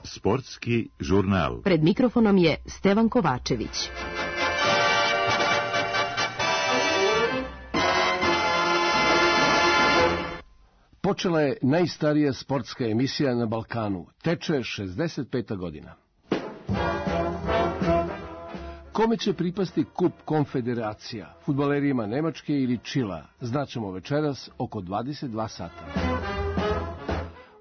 Sportski žurnal. Pred mikrofonom je Stevan Kovačević. Počela je najstarija sportska emisija na Balkanu. Teče 65. godina. Kome će pripasti kup konfederacija? Fudbalerima Nemačke ili Čila? Znaćemo večeras oko 22 sata.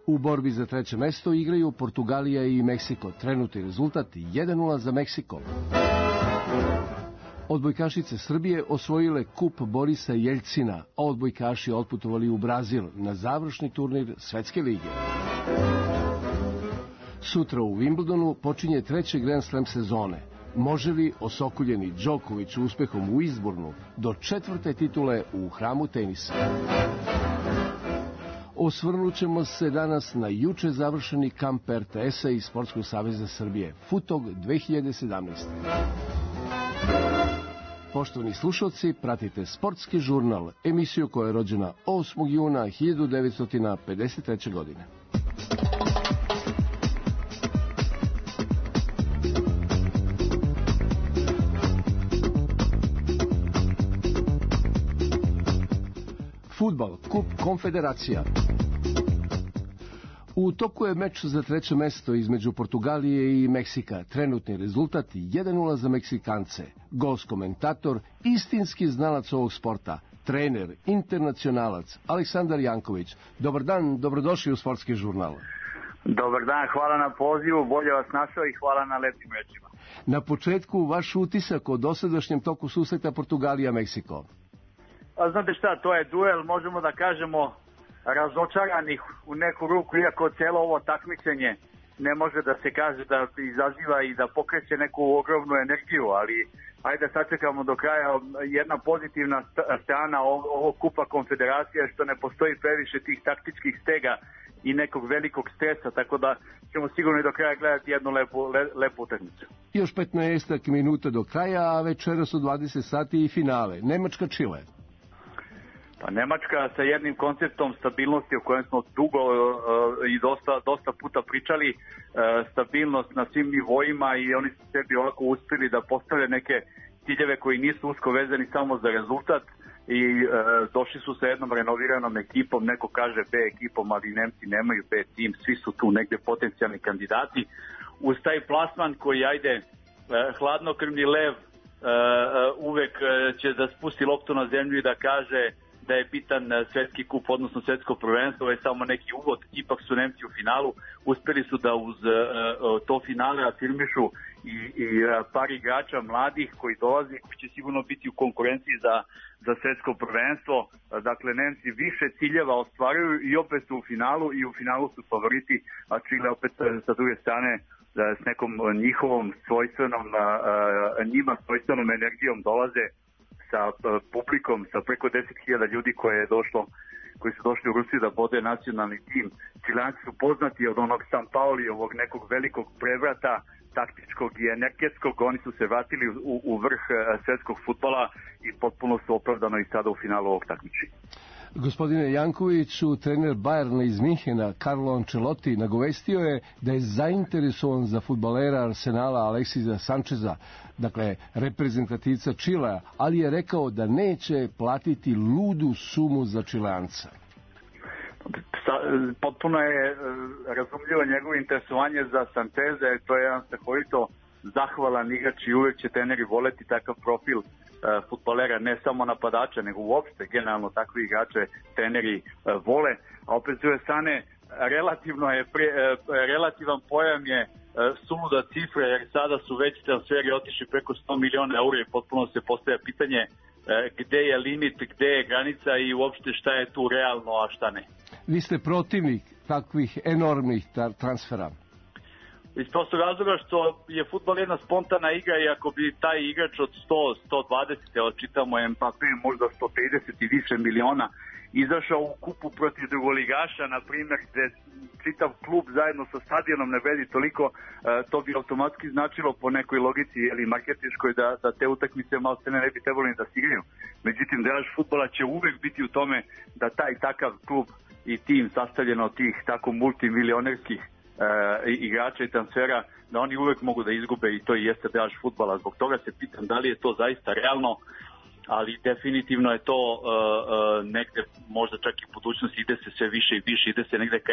U borbi za treće mesto igraju Portugalija i Meksiko. Trenutni rezultat 1:0 za Meksiko. Odbojkašice Srbije osvojile kup Borisa Jeljcina, a odbojkaši otputovali u Brazil na završni turnir Svetske lige. Sutra u Wimbledonu počinje treći Grand Slam sezone. Može li osokuljeni Đoković uspehom u Izbornu do četvrte titule u hramu tenisa? Osvrnut ćemo se danas na juče završeni kamp RTS-a i Sportskog saveza Srbije, Futog 2017. Poštovani slušalci, pratite Sportski žurnal, emisiju koja je rođena 8. juna 1953. godine. Fudbal, kup konfederacija. U toku je meč za treće mesto između Portugalije i Meksika. Trenutni rezultat 1:0 za Meksikance. Gost komentator, istinski znalac ovog sporta, trener, internacionalac, Aleksandar Janković. Dobar dan, dobrodošli u Sportski žurnal. Dobar dan, hvala na pozivu, bolje vas našao i hvala na lepim rečima. Na početku, vaš utisak o dosadašnjem toku susreta Portugalija-Meksiko. Znate šta, to je duel, možemo da kažemo, razočaranih u neku ruku, iako cijelo ovo takmičenje ne može da se kaže da izaziva i da pokreće neku ogromnu energiju, ali ajde sačekamo do kraja. Jedna pozitivna strana ovog kupa konfederacija je što ne postoji previše tih taktičkih stega i nekog velikog stresa, tako da ćemo sigurno i do kraja gledati jednu lepu utakmicu. Još 15 minuta do kraja, a večeras u 20 sati i finale. Nemačka-Čile. Pa Nemačka sa jednim konceptom stabilnosti o kojem smo dugo i dosta puta pričali, stabilnost na svim nivoima, i oni su sebi ovako uspjeli da postave neke ciljeve koji nisu usko vezani samo za rezultat i došli su sa jednom renoviranom ekipom, neko kaže B ekipom, ali Nemci nemaju B tim, svi su tu negde potencijalni kandidati. Uz taj plasman koji, ajde, hladnokrvni lev uvek će da spusti loptu na zemlju i da kaže da je bitan svetski kup, odnosno svetsko prvenstvo. Ovo je samo neki uvod, ipak su Nemci u finalu, uspeli su da uz to finale afirmišu i par igrača mladih koji dolazi, koji će sigurno biti u konkurenciji za svetsko prvenstvo. Dakle, Nemci više ciljeva ostvaruju i opet su u finalu, i u finalu su favoriti, a Čile opet sa druge strane s nekom njihovom svojstvenom, njima svojstvenom energijom dolaze sa publikom, sa preko 10.000 ljudi koji su došli u Rusiju da bode nacionalni tim. Čileanci su poznati od onog San Paulijevog nekog velikog prevrata taktičkog i energetskog. Oni su se vratili u vrh svetskog fudbala i potpuno su opravdano i sada u finalu ovog takmičenja. Gospodine Jankoviću, trener Bayerna iz Minhena, Carlo Ancelotti, nagovestio je da je zainteresovan za fudbalera Arsenala Aleksisa Sančeza, dakle reprezentativca Čilea, ali je rekao da neće platiti ludu sumu za Čileanca. Potpuno je razumljivo njegovo interesovanje za Sančeza, to je jedan strahovito zahvalan igrač i uvek će treneri voleti takav profil fudbalera, ne samo napadača, nego uopšte generalno takve igrače treneri vole, a opet s druge strane relativan pojam je suluda cifra, jer sada su već transferi otišli preko 100 miliona eura i potpuno se postavlja pitanje gde je limit, gde je granica i uopšte šta je tu realno, a šta ne. Vi ste protivnik takvih enormnih transfera? Iz prostog razloga što je fudbal jedna spontana igra i ako bi taj igrač od 100, 120, evo čitamo Mbappé, možda 130 i više miliona, izašao u kupu protiv drugoligaša, na primjer, gde čitav klub zajedno sa stadionom ne vredi toliko, to bi automatski značilo po nekoj logici ili marketinškoj da te utakmice malo se ne bi trebalo ni da se igraju. Međutim, draž fudbala će uvek biti u tome da taj takav klub i tim sastavljeno od tih tako multimilionerskih igrača i transfera, da oni uvek mogu da izgube i to i jeste draž fudbala. Zbog toga se pitam da li je to zaista realno, ali definitivno je to negde možda čak i budućnost, ide se sve više i više, ide se negde ka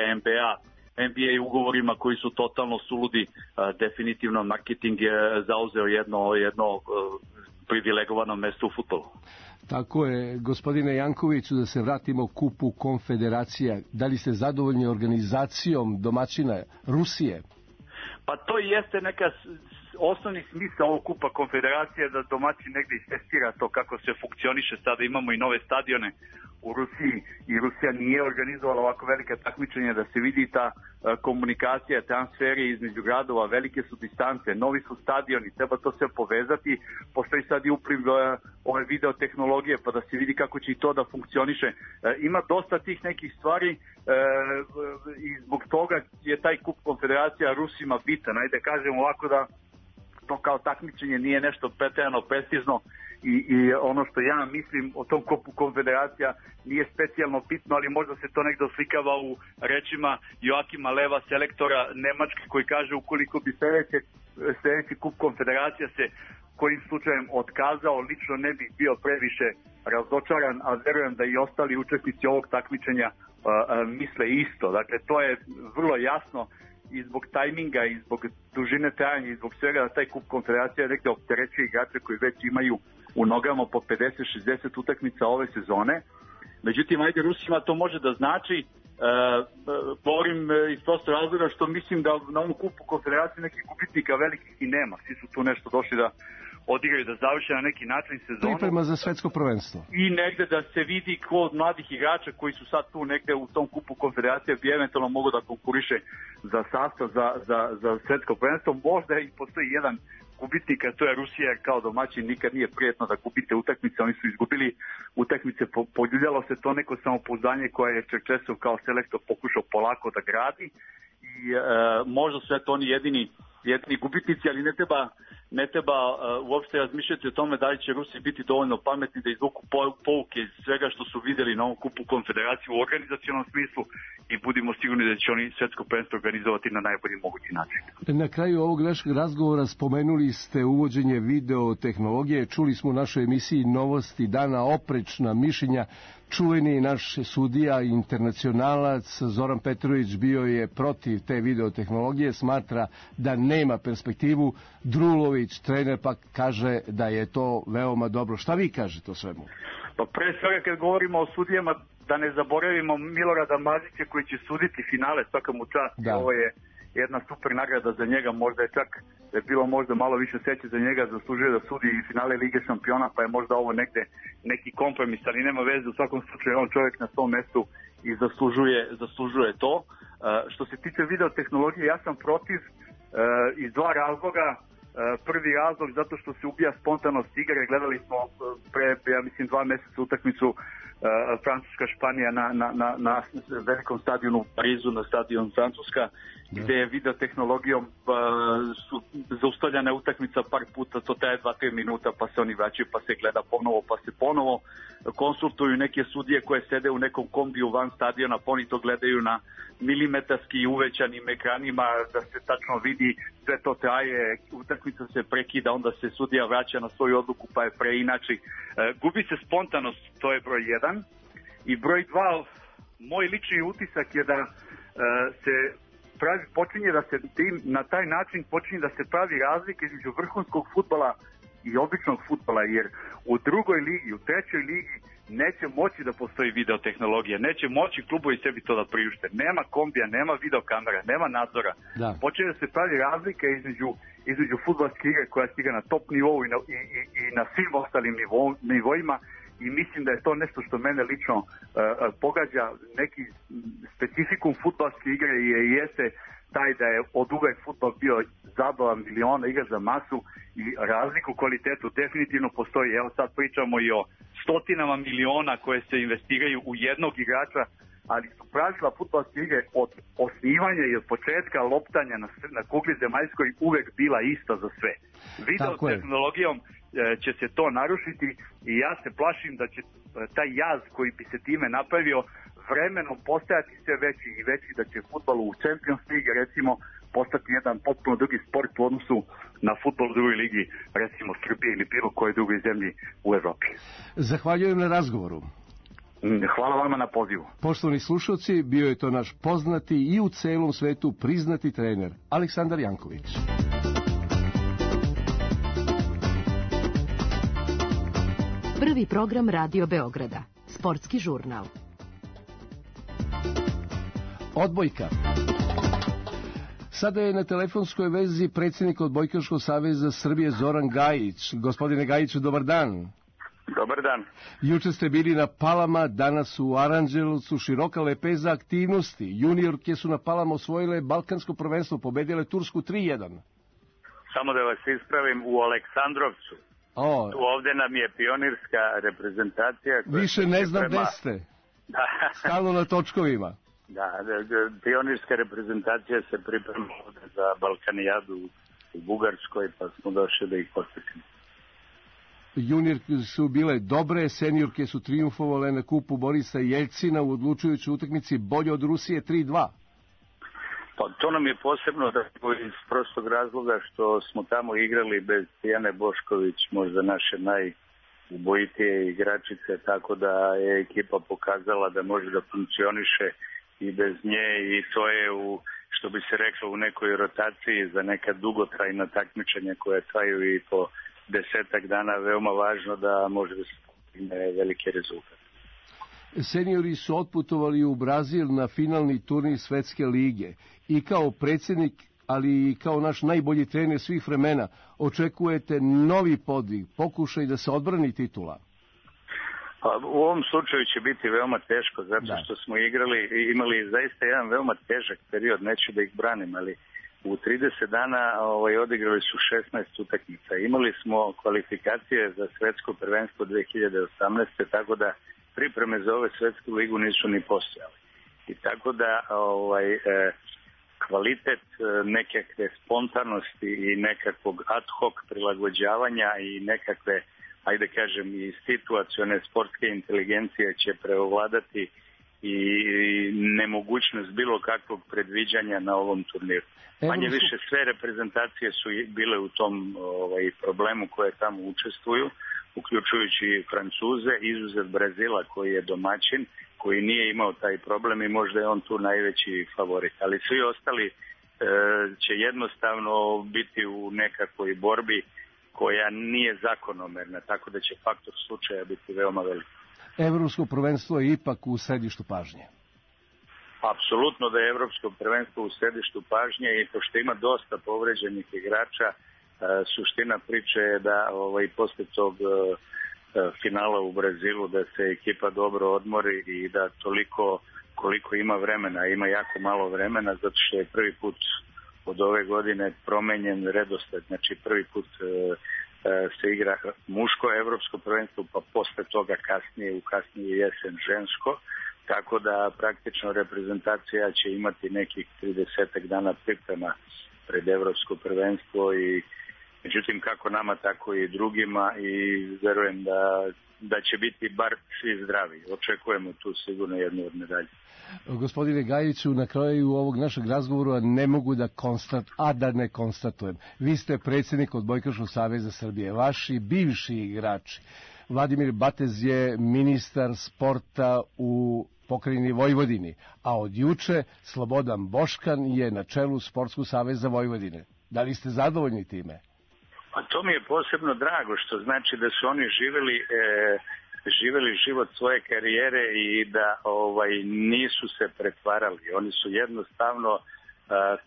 NBA ugovorima koji su totalno suludi. Definitivno marketing je zauzeo jedno privilegovano mesto u fudbalu. Tako je, gospodine Jankoviću, da se vratimo kupu konfederacija. Da li ste zadovoljni organizacijom domaćina Rusije? Pa to jeste neka osnovni smisao ovog kupa konfederacije, da domaćin negde istestira to kako se funkcioniše. Sada imamo i nove stadione u Rusiji i Rusija nije organizovala ovako velike takmičenja, da se vidi ta komunikacija, transferi između gradova, velike su distance, novi su stadioni, treba to sve povezati. Postoji sad i upliv ove video tehnologije, pa da se vidi kako će i to da funkcioniše. Ima dosta tih nekih stvari i zbog toga je taj kup konfederacija Rusima bitan. Ajde kažem ovako da to kao takmičenje nije nešto preterano prestizno i ono što ja mislim o tom kupu konfederacija nije specijalno bitno, ali možda se to negde oslikava u rečima Joakima Leva, selektora Nemačke, koji kaže ukoliko bi sledeći kup konfederacija se kojim slučajem otkazao, lično ne bih bio previše razočaran, a verujem da i ostali učesnici ovog takmičenja misle isto. Dakle, to je vrlo jasno i zbog tajminga i zbog dužine trajanja i zbog svega da taj kup konfederacija nekde opterećuje igrače koji već imaju u nogama po 50-60 utakmica ove sezone. Međutim, ajde Rusima to može da znači, govorim iz prosto razloga što mislim da na ovom kupu konfederacije nekih gubitnika velikih i nema. Svi su tu nešto došli da odigraju, da završe na neki način sezonu. Priprema za svetsko prvenstvo. I negde da se vidi ko od mladih igrača koji su sad tu negde u tom kupu konfederacije bi eventualno mogu da konkuriše za sastav za svetsko prvenstvo. Možda i postoji jedan gubitnik, a to je Rusija, kao domaćin nikad nije prijetno da gubite utakmice. Oni su izgubili utakmice, poljuljalo se to neko samopouzdanje koje je Čerčesov kao selektor pokušao polako da gradi i možda su eto oni jedini gubitnici, ali ne treba uopšte razmišljati o tome da li će Rusi biti dovoljno pametni da izvuku pouke iz svega što su videli na ovom kupu konfederacije u organizacionom smislu i budimo sigurni da će oni svetsko prvenstvo organizovati na najbolji mogući način. Na kraju ovog našeg razgovora spomenuli ste uvođenje video tehnologije. Čuli smo u našoj emisiji Novosti dana oprečna mišljenja. Čuveni naš sudija i internacionalac Zoran Petrović bio je protiv te videotehnologije, smatra da nema perspektivu. Drulović, trener, pa kaže da je to veoma dobro. Šta vi kažete o svemu? Pa pre svega kad govorimo o sudijama, da ne zaboravimo Milorada Mazića koji će suditi finale, svaka mu čast. Da. Ovo je jedna super nagrada za njega, možda je čak da je bilo možda malo više sreće za njega, zaslužuje da sudi i finale Lige šampiona, pa je možda ovo negde neki kompromis, ali nema veze, u svakom slučaju on čovjek na svom mestu i zaslužuje to. Što se tiče videotehnologije, ja sam protiv iz dva razloga. Prvi razlog zato što se ubija spontanost igre. Gledali smo pre, ja mislim, 2 meseca utakmicu Francuska-Španija na velikom stadionu u Parizu, na stadion Francuska, gde je videotehnologijom su zaustavljana utakmica par puta, to traje 2-3 minuta, pa se oni vraćaju, pa se gleda ponovo, pa se ponovo konsultuju neke sudije koje sede u nekom kombiju van stadiona, pa oni to gledaju na milimetarski uvećanim ekranima, da se tačno vidi, sve to traje, utakmica se prekida, onda se sudija vraća na svoju odluku, pa je preinači. Gubi se spontanost, to je broj 1. I broj 2, moj lični utisak je da počinje da se na taj način počinje da se pravi razlika između vrhunskog fudbala i običnog fudbala, jer u drugoj ligi, u trećoj ligi neće moći da postoji videotehnologija, neće moći klubovi sebi to da priušte. Nema kombija, nema videokamera, nema nadzora. Da. Počinje da se pravi razlika između fudbalske igre koja stiga na top nivou i na svim ostalim nivoima. I mislim da je to nešto što mene lično pogađa, neki specifikum fudbalske igre jeste taj da je od uvek fudbal bio zabava miliona, igra za masu i razliku u kvalitetu definitivno postoji. Evo sad pričamo i o stotinama miliona koje se investiraju u jednog igrača, ali su pravila fudbalske igre od osnivanja i od početka loptanja na kugli zemaljskoj uvek bila ista za sve. Video tehnologijom će se to narušiti i ja se plašim da će taj jaz koji bi se time napravio vremenom postajati sve veći i veći, da će fudbal u Champions League recimo postati jedan potpuno drugi sport u odnosu na fudbal u drugoj ligi, recimo Srbije ili bilo koje drugoj zemlji u Evropi. Zahvaljujem na razgovoru. Hvala vama na pozivu. Poštovani slušalci, bio je to naš poznati i u celom svetu priznati trener Aleksandar Janković. Prvi program Radio Beograda. Sportski žurnal. Odbojka. Sada je na telefonskoj vezi predsjednik Odbojkaškog saveza Srbije Zoran Gajić. Gospodine Gajiću, dobar dan. Dobar dan. Juče ste bili na Palama, danas u Aranđelovcu, široka lepeza aktivnosti. Juniorke su na Palama osvojile Balkansko prvenstvo, pobedile Tursku 3-1. Samo da vas ispravim, u Aleksandrovcu. Tu ovde nam je pionirska reprezentacija. Više ne znam gde ste. Stalno na točkovima. Da, pionirska reprezentacija se priprema za Balkanijadu u Bugarskoj, pa smo došli da ih posjetimo. Juniorke su bile dobre, seniorke su trijumfovale na kupu Borisa Jeljcina u odlučujućoj utakmici bolje od Rusije 3-2. Pa to nam je posebno iz prostog razloga što smo tamo igrali bez Tijane Bošković, možda naše najubojitije igračice, tako da je ekipa pokazala da može da funkcioniše i bez nje i to je što bi se reklo u nekoj rotaciji za neka dugotrajna takmičenja koja traju i po 10 dana veoma važno da može da se postigne veliki rezultat. Seniori su otputovali u Brazil na finalni turnir Svetske lige i kao predsjednik, ali i kao naš najbolji trener svih vremena očekujete novi podvig, pokušaj da se odbrani titula. Pa, u ovom slučaju će biti veoma teško zato što smo imali zaista jedan veoma težak period, neću da ih branim, ali u 30 dana odigrali su 16 utakmica. Imali smo kvalifikacije za svetsko prvenstvo 2018. tako da pripreme za ove svetsku ligu nisu ni postojali. I tako da kvalitet nekakve spontanosti i nekakvog ad hoc prilagođavanja i nekakve, ajde kažem, i situacione sportske inteligencije će preovladati i nemogućnost bilo kakvog predviđanja na ovom turniru. Manje više sve reprezentacije su bile u tom problemu koje tamo učestvuju, uključujući Francuze, izuzev Brazila koji je domaćin, koji nije imao taj problem i možda je on tu najveći favorit. Ali svi ostali će jednostavno biti u nekakvoj borbi koja nije zakonomerna, tako da će faktor slučaja biti veoma velik. Evropsko prvenstvo je ipak u središtu pažnje. Apsolutno da je evropsko prvenstvo u središtu pažnje i pošto ima dosta povređenih igrača, suština priče je da posle tog finala u Brazilu da se ekipa dobro odmori i da toliko koliko ima vremena, ima jako malo vremena zato što je prvi put od ove godine promenjen redosled, znači prvi put se igra muško evropsko prvenstvo, pa posle toga u kasnije jesen žensko, tako da praktično reprezentacija će imati nekih 30 dana priprema pred evropsko prvenstvo i međutim kako nama tako i drugima i verujem da će biti bar svi zdravi. Očekujemo tu sigurno jednu od medalje. Gospodine Gajiću, na kraju ovog našeg razgovora ne mogu da ne konstatujem. Vi ste predsjednik Odbojkaškog saveza Srbije, vaši bivši igrači. Vladimir Batez je ministar sporta u pokrajini Vojvodini, a od juče Slobodan Boškan je na čelu Sportskog saveza Vojvodine. Da li ste zadovoljni time? A to mi je posebno drago, što znači da su oni živjeli život svoje karijere i da nisu se pretvarali. Oni su jednostavno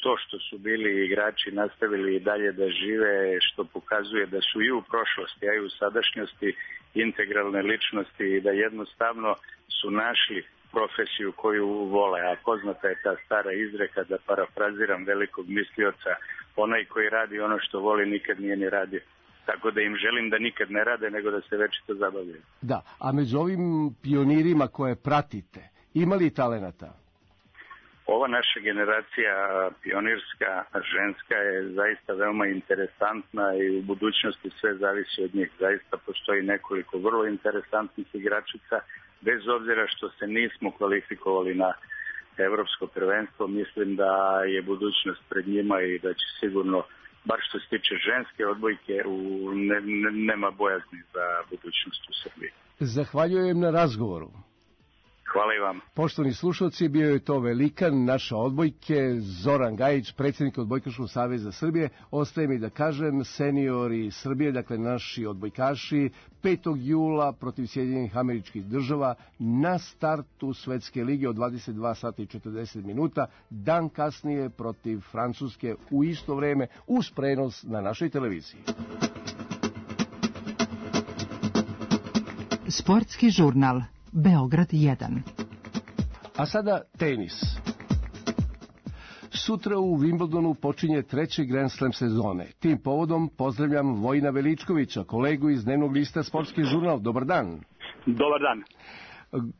to što su bili igrači nastavili i dalje da žive, što pokazuje da su i u prošlosti, a i u sadašnjosti integralne ličnosti i da jednostavno su našli profesiju koju vole, a poznata je ta stara izreka, da parafraziram velikog mislioca, onaj koji radi ono što voli nikad nije ni radio. Tako da im želim da nikad ne rade, nego da se večito zabavljaju. Da, a među ovim pionirima koje pratite, ima li talenata? Ova naša generacija pionirska, ženska, je zaista veoma interesantna i u budućnosti sve zavisi od njih. Zaista postoji nekoliko vrlo interesantnih igračica, bez obzira što se nismo kvalifikovali na evropsko prvenstvo. Mislim da je budućnost pred njima i da će sigurno, bar što se tiče ženske odbojke, nema bojazni za budućnost u Srbiji. Zahvaljujem na razgovoru. Hvala i vam. Poštovani slušalci, bio je to velikan naše odbojke, Zoran Gajić, predsjednik Odbojkaškog saveza Srbije. Ostaje mi da kažem, seniori Srbije, dakle naši odbojkaši, 5. jula protiv Sjedinjenih Američkih Država na startu Svetske lige od 22 sata i 40 minuta, dan kasnije protiv Francuske u isto vreme, uz prenos na našoj televiziji. Sportski žurnal Beograd 1. A sada tenis. Sutra u Wimbledonu počinje treći Grand Slam sezone. Tim povodom pozdravljam Vojina Veličkovića, kolegu iz dnevnog lista Sportski žurnal. Dobar dan. Dobar dan.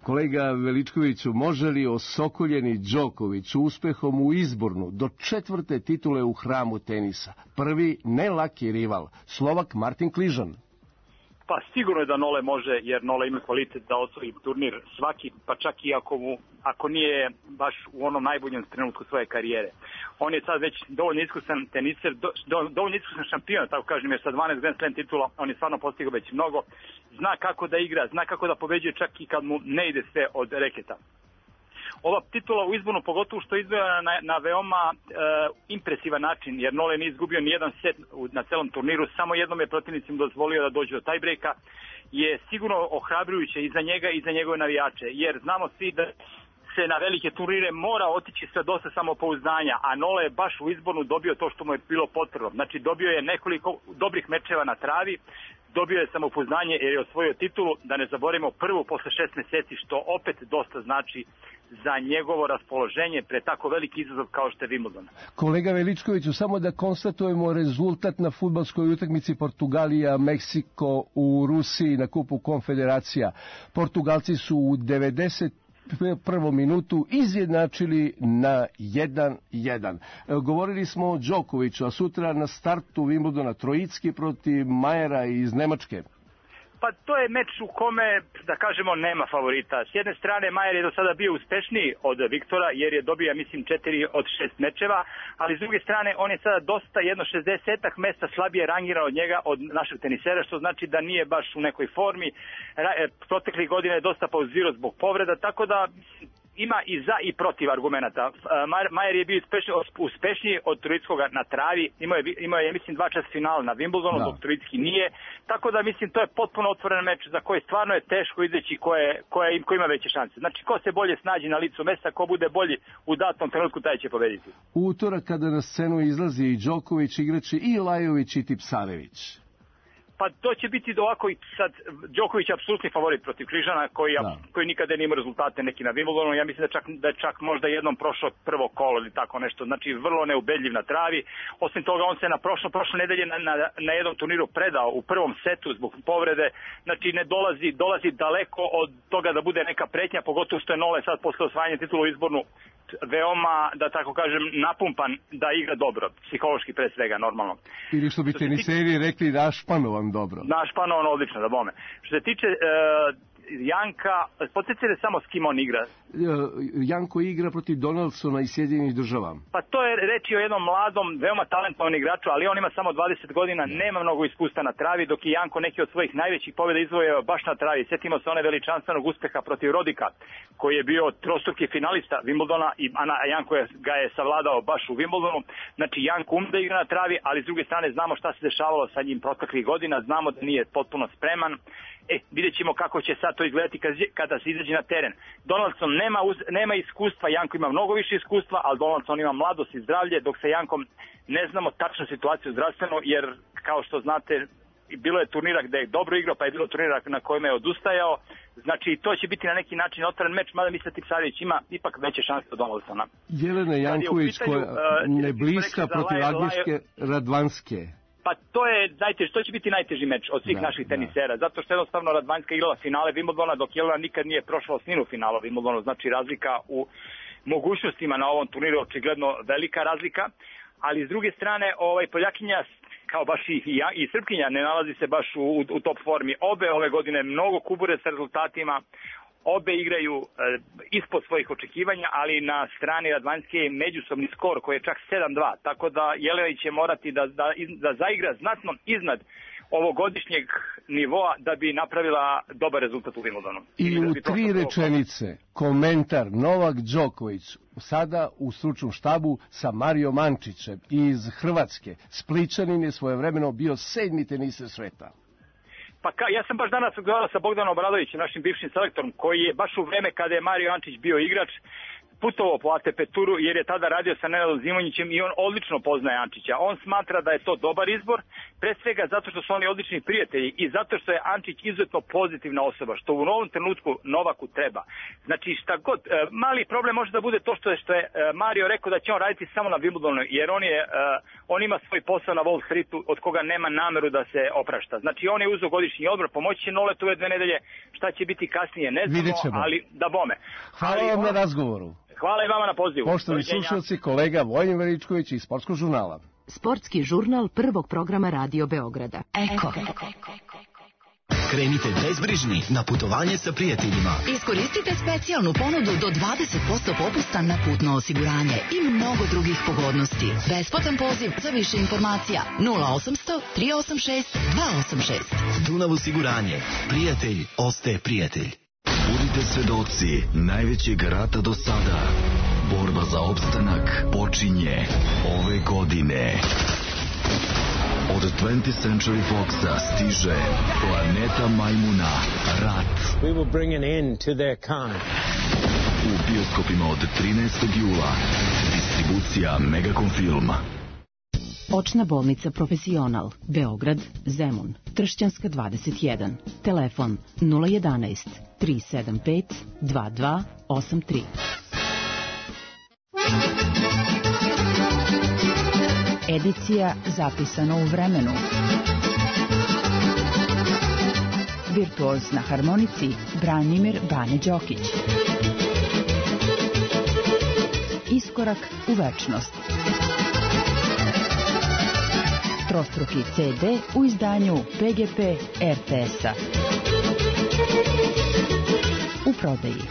Kolega Veličkoviću, može li osokoljeni Đoković uspehom u izbornu do 4. titule u hramu tenisa prvi nelaki rival, Slovak Martin Kližan? Pa sigurno je da Nole može, jer Nole ima kvalitet da osvoji turnir svaki, pa čak i ako nije baš u onom najboljem trenutku svoje karijere. On je sad već dovoljno iskusan teniser, dovoljno iskusan šampion, tako kažem, jer sa 12 Grand Slam titula on je stvarno postigao već mnogo. Zna kako da igra, zna kako da pobeđuje čak i kad mu ne ide sve od reketa. Ova titula u izbornu, pogotovo što je izvojena na veoma impresivan način, jer Nole nije izgubio ni jedan set na celom turniru, samo jednom je protivnicima dozvolio da dođe do tajbrejka, je sigurno ohrabrujuće i za njega i za njegove navijače, jer znamo svi da se na velike turnire mora otići sa dosta samopouzdanja, a Nole je baš u izbornu dobio to što mu je bilo potrebno. Znači dobio je nekoliko dobrih mečeva na travi, dobio je samopouzdanje jer je osvojio titulu, da ne zaboravimo prvu posle 6 meseci, što opet dosta znači za njegovo raspoloženje pre tako veliki izazov kao što je Wimbledon. Kolega Veličkoviću, samo da konstatujemo rezultat na fudbalskoj utakmici Portugalija-Meksiko u Rusiji na Kupu Konfederacija. Portugalci su u 91. minutu izjednačili na 1-1. Govorili smo o Đokoviću, a sutra na startu Wimbledona Trojicki protiv Majera iz Nemačke. Pa to je meč u kome, da kažemo, nema favorita. S jedne strane, Majer je do sada bio uspešniji od Viktora, jer je dobio, mislim, 4 od 6 mečeva, ali s druge strane, on je sada dosta, jedno 60 mesta slabije rangiran od njega, od našeg tenisera, što znači da nije baš u nekoj formi. Proteklih godina je dosta pauzirao zbog povreda, tako da ima i za i protiv argumenata. Majer je bio uspešniji od Trojickoga na travi, imao je mislim 2 čas finala na Wimbledonu, dok Trojicki nije, tako da mislim to je potpuno otvoren meč za koji stvarno je teško izaći ko ima veće šanse. Znači ko se bolje snađi na licu mesta, ko bude bolji u datom trenutku, taj će pobediti. U utorak kada na scenu izlazi i Đoković, igrači i Lajović i Tipsarević. Pa to će biti ovako i sad Đoković je apsolutni favorit protiv Kližana koji nikada nije imao rezultate neki na Wimbledonu. Ja mislim da je čak možda jednom prošao prvo kolo ili tako nešto. Znači vrlo neubedljiv na travi. Osim toga on se na prošle nedelje na jednom turniru predao u prvom setu zbog povrede. Znači ne dolazi daleko od toga da bude neka pretnja, pogotovo što je Nole sad posle osvajanja titula u izbornu veoma, da tako kažem, napumpan da igra dobro, psihološki pre svega, normalno. Ili što bi teniseri rekli, našpanovan dobro. Našpanovan odlično, da bome. Što se tiče Janka, podsjetite samo s kim on igra. Janko igra protiv Donaldsona iz Sjedinjenih Država. Pa to je reći o jednom mladom, veoma talentovanom igraču, ali on ima samo 20 godina, nema mnogo iskustva na travi, dok je Janko neki od svojih najvećih pobjeda izvojio baš na travi. Sjetimo se one veličanstvenog uspeha protiv Rodika, koji je bio trostruki finalista Wimbledona, a Janko ga je savladao baš u Wimbledonu. Znači Janko da igra na travi, ali s druge strane znamo šta se dešavalo sa njim proteklih godina, znamo da nije potpuno spreman. Vidjet ćemo kako će sad to izgledati kada se izađe na teren. Donaldson nema iskustva, Janko ima mnogo više iskustva, ali Donaldson ima mladost i zdravlje, dok sa Jankom ne znamo tačnu situaciju zdravstveno, jer kao što znate, bilo je turnira gde je dobro igrao, pa je bilo turnira na kojima je odustajao. Znači, to će biti na neki način otvoren meč, mada mislim da Tipsarević ima ipak veće šanse od Donaldsona. Jelena Janković koja ne bliska protiv Agnieszke Radwanske. Pa to će biti najteži meč od svih naših tenisera, zato što jednostavno Radwanska igrala finale Wimbledona, dok Jelena nikad nije prošla osminu finala Wimbledona, znači razlika u mogućnostima na ovom turniru očigledno velika razlika, ali s druge strane Poljakinja kao baš i Srpkinja ne nalazi se baš u top formi. Obe ove godine mnogo kubure sa rezultatima, obe igraju ispod svojih očekivanja, ali na strani Radwanske je međusobni skor koji je čak 7-2, tako da Jelena će morati da zaigra znatno iznad ovogodišnjeg nivoa da bi napravila dobar rezultat u Wimbledonu. I u 3 rečenice komentar Novak Đoković sada u stručnom štabu sa Mario Mančićem iz Hrvatske. Splićanin je svojevremeno bio 7. teniser sveta. Pa ja sam baš danas razgovarao sa Bogdanom Obradovićem, našim bivšim selektorom, koji je baš u vreme kada je Mario Mančić bio igrač putovao po ATP turu, jer je tada radio sa Nenadom Zimonjićem i on odlično poznaje Ančića. On smatra da je to dobar izbor, pre svega zato što su oni odlični prijatelji i zato što je Ančić izuzetno pozitivna osoba, što u novom trenutku Novaku treba. Znači šta god, mali problem može da bude to što je Mario rekao da će on raditi samo na Wimbledonu, jer on ima svoj posao na Wall Streetu od koga nema nameru da se oprašta. Znači on je uzeo godišnji odmor, pomoći će Noletu ove 2 nedelje, šta će biti kasnije ne znamo, ali da bome. Hvala vam na razgovoru. Hvala i vama na pozivu. Poštovani slušalci, kolega Vojin Veličković iz Sportskog žurnala. Sportski žurnal prvog programa Radio Beograda. Eko. Krenite bezbrižni na putovanje sa prijateljima. Iskoristite specijalnu ponudu do 20% popusta na putno osiguranje i mnogo drugih pogodnosti. Besplatan poziv za više informacija 0800 386 286. Dunav osiguranje. Prijatelj ostaje prijatelj. Budite svedoci najvećeg rata do sada. Borba za opstanak počinje ove godine. Od 20th Century Foxa stiže Planeta Majmuna, Rat. We will bring an end to their kind. U bioskopima od 13. jula. Distribucija Megacom Filma. Očna bolnica Profesional, Beograd, Zemun, Tršćanska 21, telefon 011 375 2283. Edicija zapisana u vremenu. Virtuoz na harmonici Branimir Bane Đokić. Iskorak u večnost. Trostruki CD u izdanju PGP RTS-a. U prodaji.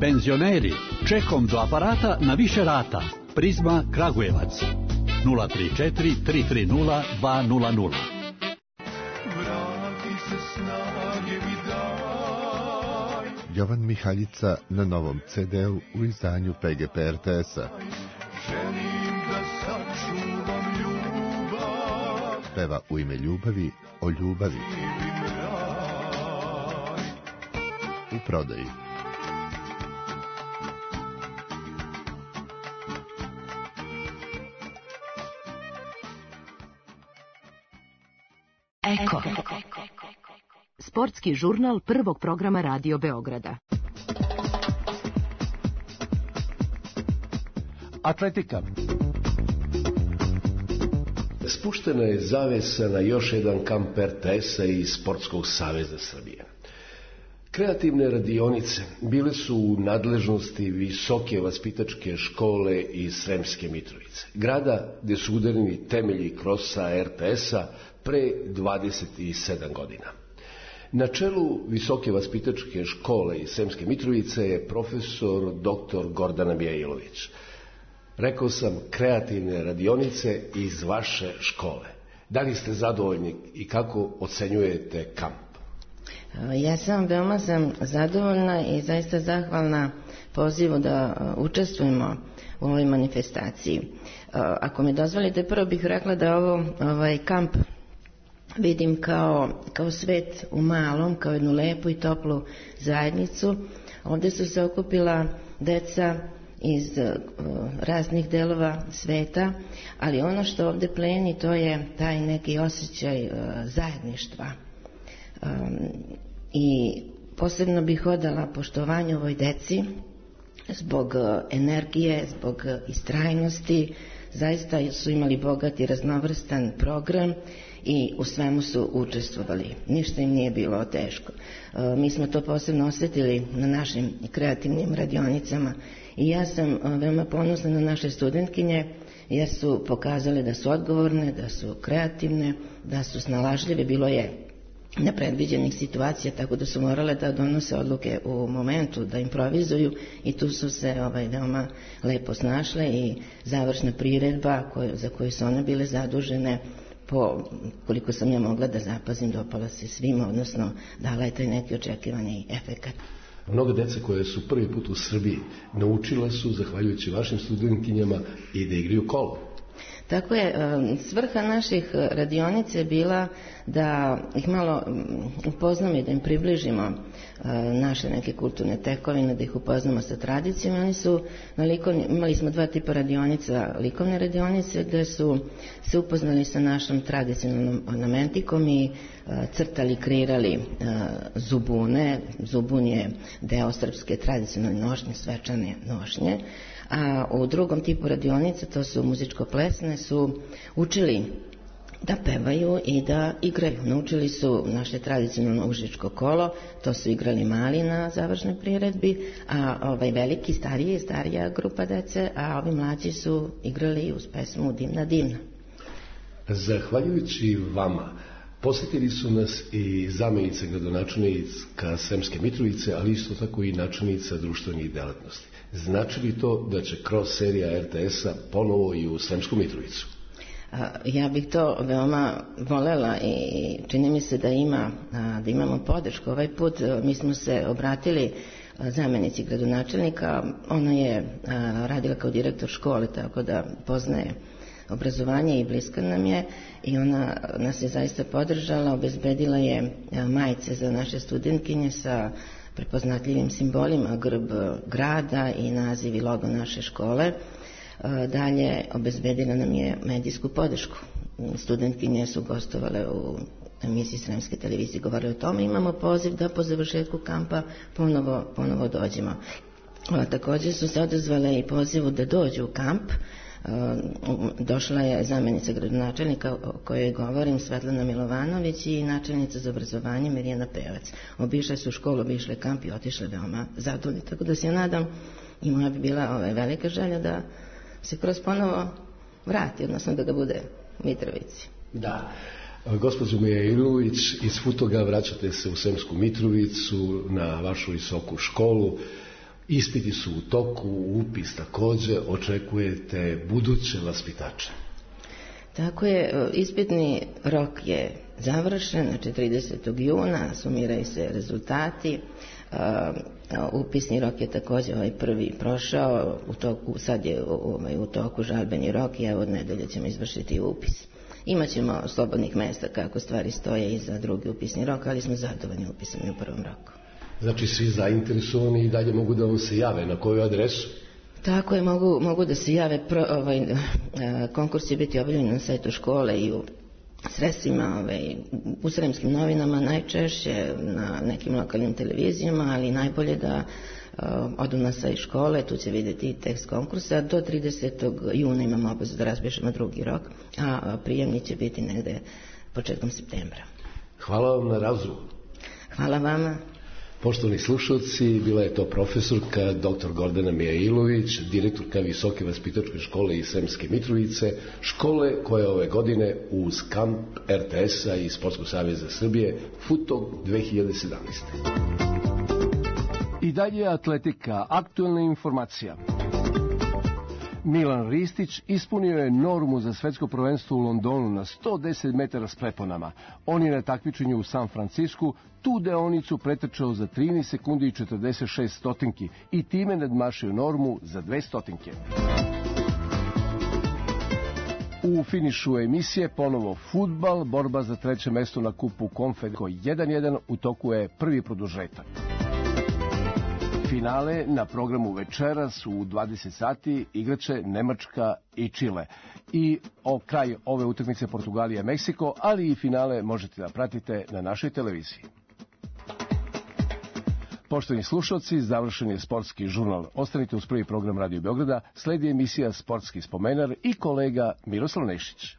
Penzioneri, čekom do aparata na više rata. Prizma Kragujevac 034 330 200. Jovan Mihaljica na novom CD-u u izdanju PGP RTS-a. Peva u ime ljubavi o ljubavi. U prodaji. Eko. Sportski žurnal prvog programa Radio Beograda. Atletika. Spuštena je zavesa na još jedan kamp RTS-a i Sportskog saveza Srbije. Kreativne radionice bile su u nadležnosti Visoke vaspitačke škole iz Sremske Mitrovice, grada gdje su udareni temelji krosa RTS-a pre 27 godina. Na čelu Visoke vaspitačke škole iz Sremske Mitrovice je profesor dr. Gordana Mijailović. Rekao sam kreativne radionice iz vaše škole. Da li ste zadovoljni i kako ocenjujete kamp? Ja sam veoma zadovoljna i zaista zahvalna pozivu da učestvujemo u ovoj manifestaciji. Ako mi dozvolite, prvo bih rekla da ovaj kamp vidim kao svet u malom, kao jednu lepu i toplu zajednicu. Ovdje su se okupila deca iz raznih delova sveta, ali ono što ovde pleni to je taj neki osjećaj zajedništva. I posebno bih odala poštovanje ovoj deci zbog energije, zbog istrajnosti. Zaista su imali bogat i raznovrstan program i u svemu su učestvovali. Ništa im nije bilo teško. Mi smo to posebno osjetili na našim kreativnim radionicama i ja sam veoma ponosna na naše studentkinje jer su pokazale da su odgovorne, da su kreativne, da su snalažljive. Bilo je nepredviđenih situacija, tako da su morale da donose odluke u momentu, da improvizuju i tu su se veoma lepo snašle i završna priredba za koju su one bile zadužene, koliko sam ja mogla da zapazim, dopala se svima, odnosno dala je taj neki očekivani efekat. Mnogo dece koje su prvi put u Srbiji naučila su, zahvaljujući vašim studentkinjama, i da igraju kolo. Tako je, svrha naših radionica je bila da ih malo upoznamo i da im približimo naše neke kulturne tekovine, da ih upoznamo sa tradicijom. Imali smo 2 tipa radionica, likovne radionice gde su se upoznali sa našom tradicionalnom ornamentikom i crtali, kreirali zubune. Zubun je deo srpske tradicionalne nošnje, svečane nošnje. A u drugom tipu radionica, to su muzičko-plesne, su učili da pevaju i da igraju. Naučili su naše tradicionalno užičko kolo, to su igrali mali na završnoj priredbi, a veliki, starija grupa dece, a ovi mlađi su igrali uz pesmu Dimna dimna. Zahvaljujući vama, posjetili su nas i zamenica gradonačelnika Sremske Mitrovice, ali isto tako i načelnica društvenih delatnosti. Znači li to da će kroz serija RTS-a ponovo i u Sremsku Mitrovicu? Ja bih to veoma volela i čini mi se da imamo podršku. Ovaj put mi smo se obratili zamenici gradonačelnika, ona je radila kao direktor škole, tako da poznaje obrazovanje i bliska nam je i ona nas je zaista podržala, obezbedila je majice za naše studentkinje sa prepoznatljivim simbolima, grb grada i naziv i logo naše škole. Dalje, obezbedila nam je medijsku podršku. Studentkinje su gostovale u emisiji Sremske televizije, govorili o tome. Imamo poziv da po završetku kampa ponovo dođemo. Također su se odazvale i pozivu da dođu u kamp. Došla je zamenica gradonačelnika o kojoj govorim, Svetlana Milovanović, i načelnica za obrazovanje Mirjana Pevac. Obišle su školu, obišle kamp i otišle veoma zadovoljni. Tako da se ja nadam, i moja bi bila velika želja da se kroz ponovo vrati, odnosno da ga bude u Mitrovici. Da. Gospođo Mijailović, iz Futoga vraćate se u Sremsku Mitrovicu na vašu visoku školu. Ispiti su u toku, upis takođe, očekujete buduće vaspitače. Tako je, ispitni rok je završen, znači 30. juna, sumiraju se rezultati. Upisni rok je takođe prvi prošao, sad je u toku žalbeni rok i evo od nedelje ćemo izvršiti upis. Imaćemo slobodnih mesta kako stvari stoje i za drugi upisni rok, ali smo zadovoljni upisom u prvom roku. Znači svi zainteresovani i dalje mogu da vam se jave, na koju adresu? Tako je, mogu da se jave. Konkurs će biti objavljen na sajtu škole i u sredstvima, u Sremskim novinama, najčešće na nekim lokalnim televizijama, ali najbolje da odu na sajt škole, tu će vidjeti tekst konkursa. Do 30. juna imamo obavezu da razpišemo drugi rok, a prijemni će biti negde početkom septembra. Hvala vam na razgovoru. Hvala vama. Poštovani slušalci, bila je to profesorka dr. Gordana Mijailović, direktorka Visoke vaspitačke škole iz Sremske Mitrovice, škole koja ove godine uz kamp RTS-a i Sportskog saveza Srbije Futog 2017. I dalje atletika, aktuelna informacija. Milan Ristić ispunio je normu za svetsko prvenstvo u Londonu na 110 metara s preponama. On je na takmičenju u San Francisku tu deonicu pretrčao za 13 sekundi i 46 stotinki i time nadmašio normu za 2 stotinke. U finišu emisije ponovo fudbal, borba za 3. mesto na kupu Konfederacije 1-1, u toku je prvi produžetak. Finale na programu večeras u 20 sati igraće Nemačka i Čile. I kraj ove utakmice Portugalija i Meksiko, ali i finale možete da pratite na našoj televiziji. Poštovani slušalci, završen je sportski žurnal. Ostanite uz prvi program Radio Beograda, sledi emisija Sportski spomenar i kolega Miroslav Nešić.